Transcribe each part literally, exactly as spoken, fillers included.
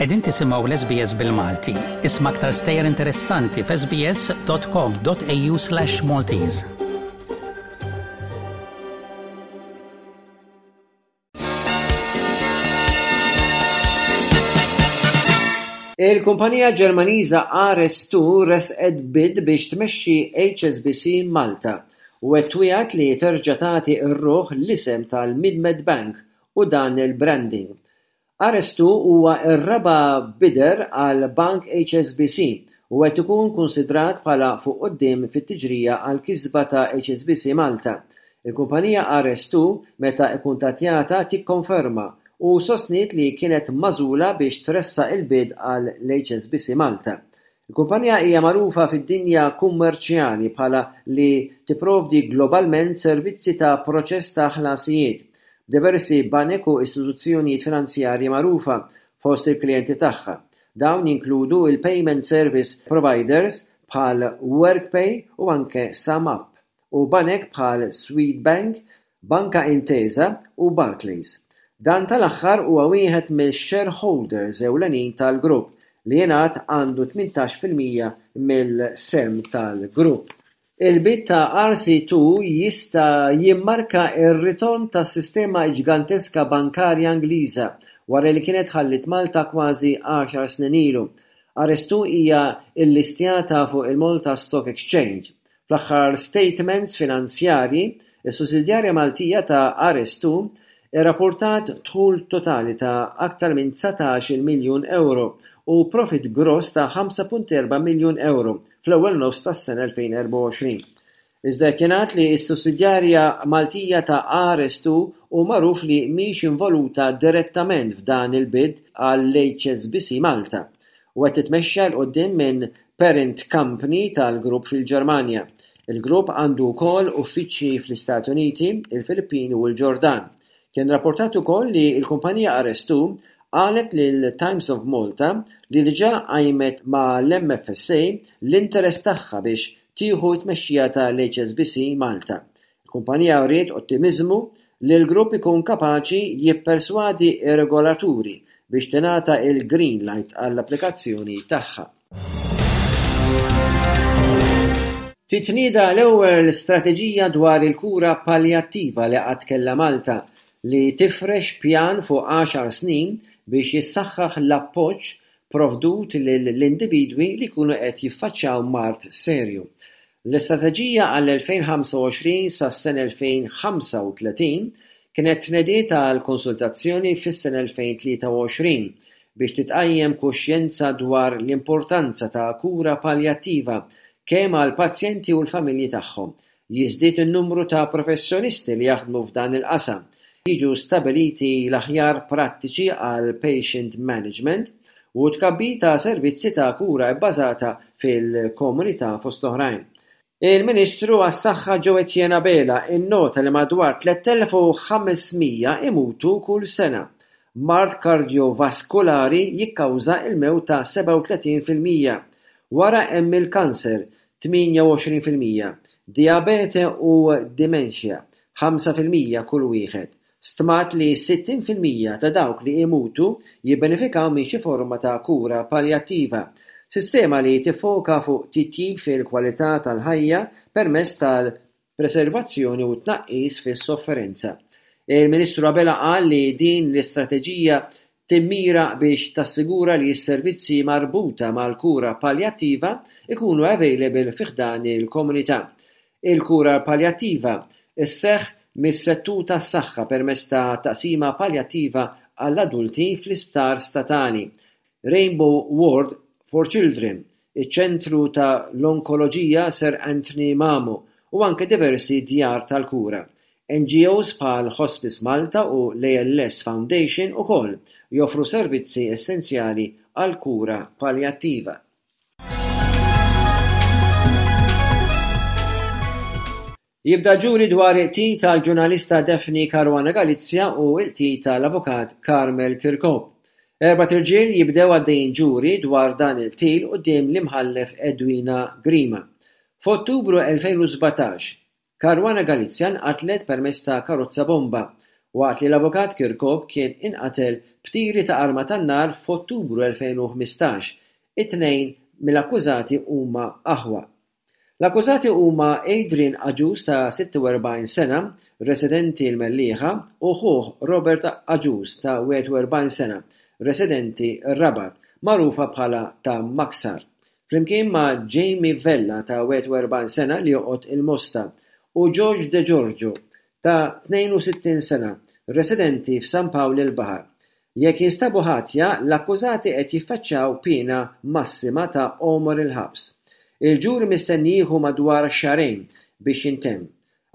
Qegħdin tisimgħu l-S B S bil-Malti. Isma' aktar stejjer interessanti f'S B S dot com dot A U slash Maltese. Il-kumpanija Ġermaniża R S two resqet bid biex tmexxi H S B C Malta u qed twiegħed li terġa' tagħti r-ruħ l-isem tal-Mid-Med Bank u dan il-branding. R S two huwa r-raba' bidder għal Bank H S B C u qed ikun konsidrat bħala fuq quddiem fit-tiġrija għal kisba ta' H S B C Malta. Il-kumpanija R S two meta ikkuntattjata tikkonferma u sostniet li kienet magħżula biex tressaq il-bid għal H S B C Malta. Il-kumpanija hija magħrufa fid-dinja kummerċjali bħala li tipprovdi globalment servizzi ta' proċess ta' ħlasijiet b'diversi banek u istituzzjonijiet finanzjarji magħrufa fost il-klijenti tagħha. Dawn jinkludu il-payment service providers bħal Worldpay u anke SumUp u banek bħal Swedbank, Banka Intesa u Barclays. Dan tal-aħħar huwa wieħed mill-shareholders ewlenin tal-grupp li jingħad għandu tmintax fil-mija mill-sehem tal-grupp. Il-bid ta' R S two jista' jimmarka r-ritorn tas-sistema ġganteska bankarja Ingliża wara li kienet ħallit Malta kważi għaxar snin ilu. R S two hija llistjata fuq il-Malta Stock Exchange. Fl-aħħar statements finanzjarji, is-sussidjarja Maltija ta' R S two irrapportat dħul totali ta' aktar minn dsatax-il miljun euro u profit gross ta' ħamsa punt erba' miljun euro fl-ewwel nofs tas-sena elfejn u erbgħa u għoxrin. Iżda qed jingħad li s-sussidjarja Maltija ta' R S two hu magħruf li mhix involuta direttament f'dan il-bid għall-H S B C Malta u qed titmexxa 'l quddiem minn parent company tal-grupp fil-Ġermanja. Il-grupp għandu wkoll uffiċċji fl-Istati Uniti, il-Filippini u l-Ġordan. Kien rapportat ukoll li l-kumpanija R S two qalet lil Times of Malta li diġà qajmet mal-M F S A l-interess tagħha biex tieħu t-tmexxija tal-H S B C Malta. Il-kumpanija wriet ottimiżmu li l-grupp ikun kapaċi jipperswadi ir-regolaturi biex tingħata il-green light għall-applikazzjoni tagħha. Titnieda l-ewwel strateġija dwar il-kura paljattiva li qatt kellha Malta, li tifrex pjan fuq għaxar snin biex jissaħħaħ l-appoġġ provdut lill-individwi li jkunu qed jiffaċċjaw mard serju. L-istrateġija għall-elfejn u ħamsa u għoxrin sas-sena elfejn u ħamsa u tletin kienet tnediet għal konsultazzjoni fis-sena elfejn u tlieta u għoxrin biex titqajjem kuxjenza dwar l-importanza ta' kura paljattiva kemm għal pazjenti u l-familji tagħhom. Jiżdied in-numru ta' professjonisti li jaħdmu f'dan il-qasam, jiġu stabiliti l-aħjar prattiċi għal patient management u tkabbir ta' servizzi ta' kura bbażata fil-komunità, fost oħrajn. Il-Ministru għas-Saħħa Joe Etienne Abela innota li madwar tliet elef u ħames mija imutu kull sena. Mard kardiovaskulari jikkawża il-mewt ta' sebgħa u tletin fil-mija. Wara hemm il-kanser tmienja u għoxrin fil-mija, diabete u dementia ħamsa fil-mija kull wieħed. Stmat li sittin fil-mija ta' dawk li imutu jibbenefikaw minn xi forma ta' kura paljattiva, sistema li tiffoka fuq titjib fil-kwalità tal-ħajja permezz tal-preservazzjoni u tnaqqis fis-sofferenza. Il-Ministru Abela qal li din l-istrateġija timmira biex tassigura li s-servizzi marbuta mal-kura paljattiva ikunu available fi ħdan il-komunità. Il-kura paljattiva isseħħ mis-settur tas-saħħa permezz ta' taqsima paljattiva għall-adulti fl-isptar statali, Rainbow Ward for Children, iċ-ċentru ta' l-onkoloġija Sir Anthony Mamo u anke diversi djar tal-kura. N G Os bħal Hospice Malta u l-A L S Foundation ukoll joffru servizzi essenzjali għal kura paljattiva. Jibda ġuri dwar il-qtil tal-ġurnalista Daphne Caruana Galizia u il-qtil tal-avukat Carmel Kirkop. Erbat irġiel jibdew għaddejjin ġuri dwar dan il-qtil quddiem l-imħallef Edwina Grima. F'Ottubru elfejn u sbatax, Caruana Galizia nqatlet permezz ta' karozza bomba waqt li l-Avukat Chircop kien inqatel b'tiri ta' arma tan-nar f'Ottubru elfejn u ħmistax. It-tnejn mill-akkużati huma aħwa. L-akkużati huma Adrian Agius ta' sitta u erbgħin sena, residenti l-Mellieħa, u ħuh Robert Agius ta' wieħed u erbgħin sena, residenti r-Rabat, magħrufa bħala ta' Maksar, flimkien ma' Jamie Vella ta' wieħed u erbgħin sena li joqgħod il-Mosta u George De Giorgio ta' tnejn u sittin sena, residenti f'San Pawl il-Baħar. Jekk jinstabu ħatja, l-akkużati qed jiffaċċjaw piena massima ta' għomor il-ħabs. Il-ġuri mistenni jieħu madwar xahrejn biex jintemm.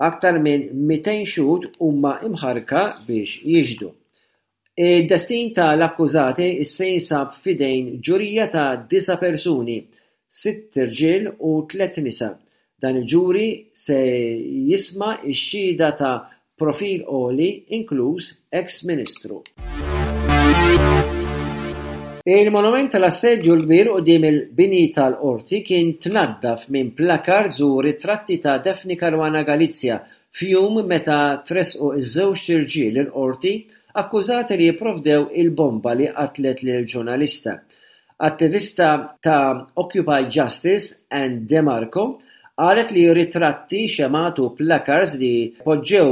Aktar minn mitejn xhud huma imħarrka biex jixhdu. Id-destin tal-akkużati issa jinsab f'idejn ġurija ta' disa' persuni, sitt irġiel u tliet nisa. Dan il-ġuri se jisma' x-xhieda ta' profil għoli inkluż ex-ministru. Il-monument tal-Assedju l-Kbir quddiem il-bini tal-Qorti kien tnaddaf minn placards u ritratti ta' Daphne Caruana Galizia f'jum meta tressqu iż-żewġ irġiel il-Qorti akkużati li jipprovdew il-bomba li qatlet lil ġurnalista. Attivista ta' Occupy Justice Ann DeMarco qalet li ritratti, xemgħat u placards li poġġew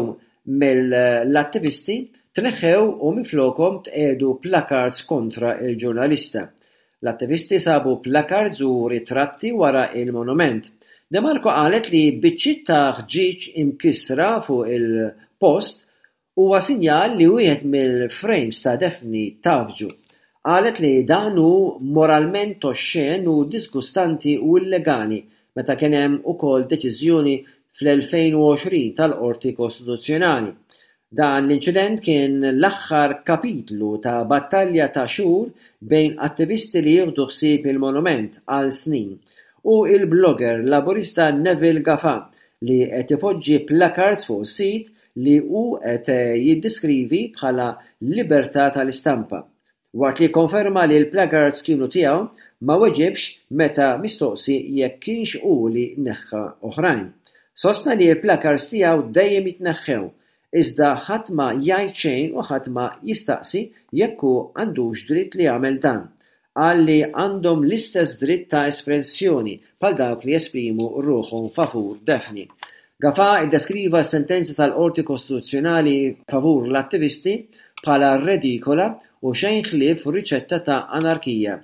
mill-attivisti tneħħew u minflokhom tqiegħdu placards kontra il-ġurnalista. L-attivisti sabu placards u ritratti wara il-monument. DeMarco qalet li biċċiet ta' ħġieġ imkissra fuq il-post huwa sinjal li wieħed mill-frames ta' Daphne tafġu. Qalet li dan hu moralment oxxen u disgustanti u illegali meta kien hemm ukoll deċiżjoni fl-elfejn u għoxrin tal-Qorti Kostituzzjonali. Dan l-inċident kien l-aħħar kapitlu ta' battalja ta' xhur bejn attivisti li jieħdu ħsieb il-monument għal snin u il-blogger laburista Neville Gafà li qed ipoġġi placards fuq sit li hu qed jiddeskrivi bħala libertà tal-istampa. Waqt li konferma li l-placards kienu tiegħu, ma weġibx meta mistoqsi jekk kienx hu li neħħa oħrajn. Sostna li l-placards tiegħu dejjem jitneħħew, iżda ħadd ma jgħid xejn u ħadd ma jistaqsi jekk hu għandux dritt li jagħmel dan. Qal li għandhom l-istess dritt ta' espressjoni bħal dawk li jesprimu ruħhom favur Daphne. Gafà iddeskriva s-sentenza tal-Qorti Kostituzzjonali favur l-attivisti bħala redikola u xejn ħlief riċetta ta' anarkija.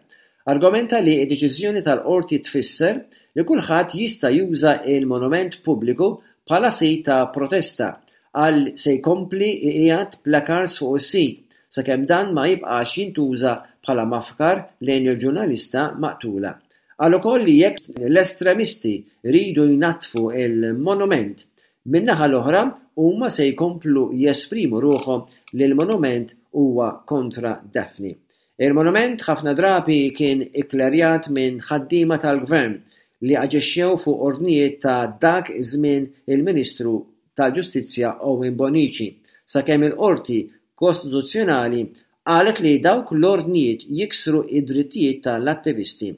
Argumenta li d-deċiżjoni tal-Qorti tfisser li kulħadd jista' juża il-monument pubbliku bħala sit ta' protesta għal se jkompli iqiegħed placards fuq is-sit sakemm dan ma jibqax jintuża bħala mafkar lejn il-ġurnalista maqtula. Qal ukoll li jekk l-estremisti jridu jnaddfu il-monument min-naħa l-oħra huma se jkomplu jesprimu ruħhom li l-monument huwa kontra Daphne. Il-monument ħafna drabi kien ikklerjat minn ħaddiema tal-gvern li aġixxew fuq ordnijiet ta' dak iż-żmien il-Ministru tal-Ġustizzja Owen Bonnici, sakemm il-Qorti Kostituzzjonali qalet li dawk l-ordnijiet jiksru id-drittijiet tal-attivisti.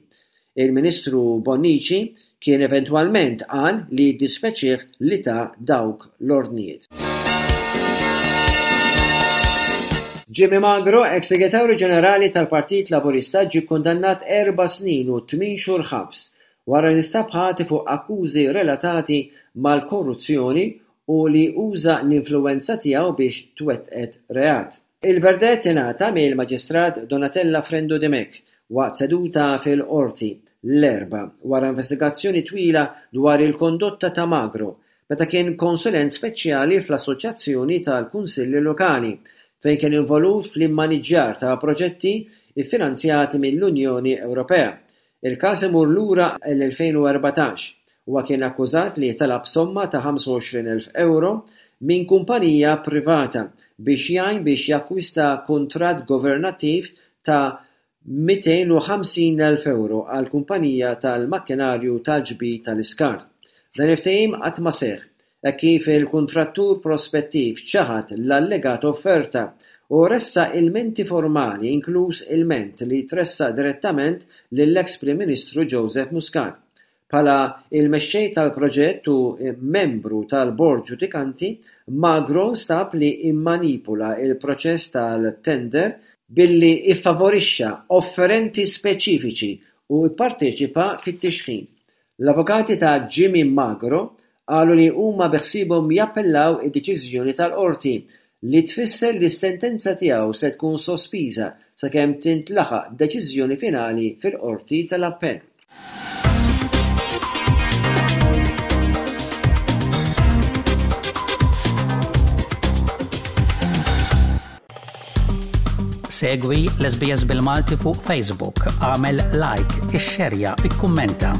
Il-Ministru Bonnici kien eventwalment qal li dispjaċih li ta dawk l-ordnijiet. Jimmy Magro, ex-segretarju ġenerali tal-Partit Laburista, ġie kkundannat erba' snin u tmien xhur ħabs wara li nstab ħati fuq akkużi relatati mal-korruzzjoni u li uża l-influwenza tiegħu biex twettqet reat. Il-verdett ingħata mill-Maġistrat Donatella Frendo Dimech waqt seduta fil-Qorti l-Erbgħa wara investigazzjoni twila dwar il-kondotta ta' Magro meta kien konsulent speċjali fl-Assoċjazzjoni tal-Kunsilli Lokali fejn kien involut fl-immaniġġjar ta' proġetti iffinanzjati mill-Unjoni Ewropea. Il-każ imur lura l-elfejn u erbatax. Huwa kien akkużat li talab somma ta' ħamsa u għoxrin elf euro minn kumpanija privata biex jgħin biex jakkwista kuntratt governattiv ta' mitejn u ħamsin elf euro għal kumpanija tal-makkinarju tal-ġbid tal-iskart. Dan il-ftehim qatt ma seħħ, hekk kif il-kuntrattur prospettiv ċaħad l-allegat offerta u ressa ilmenti formali, inkluż ilment li tressaq direttament lill-ex Prim Ministru Joseph Muscat. Bħala il-mexxej tal-proġett u membru tal-bord ġudikanti, Magro nstab li immanipula il-proċess tal-tender billi iffavorixxa offerenti speċifiċi u pparteċipa fit-tixħim. L-avukati ta' Jimmy Magro qalu li huma beħsiebhom jappellaw id-deċiżjoni tal-qorti li tfisser li s-sentenza tiegħu se tkun sospiża sakemm tintlaħaq deċiżjoni finali fil-qorti tal-appell. Segwi l-S B S bil-Malti fuq Facebook, għamel like, ixxerja, ikkummenta.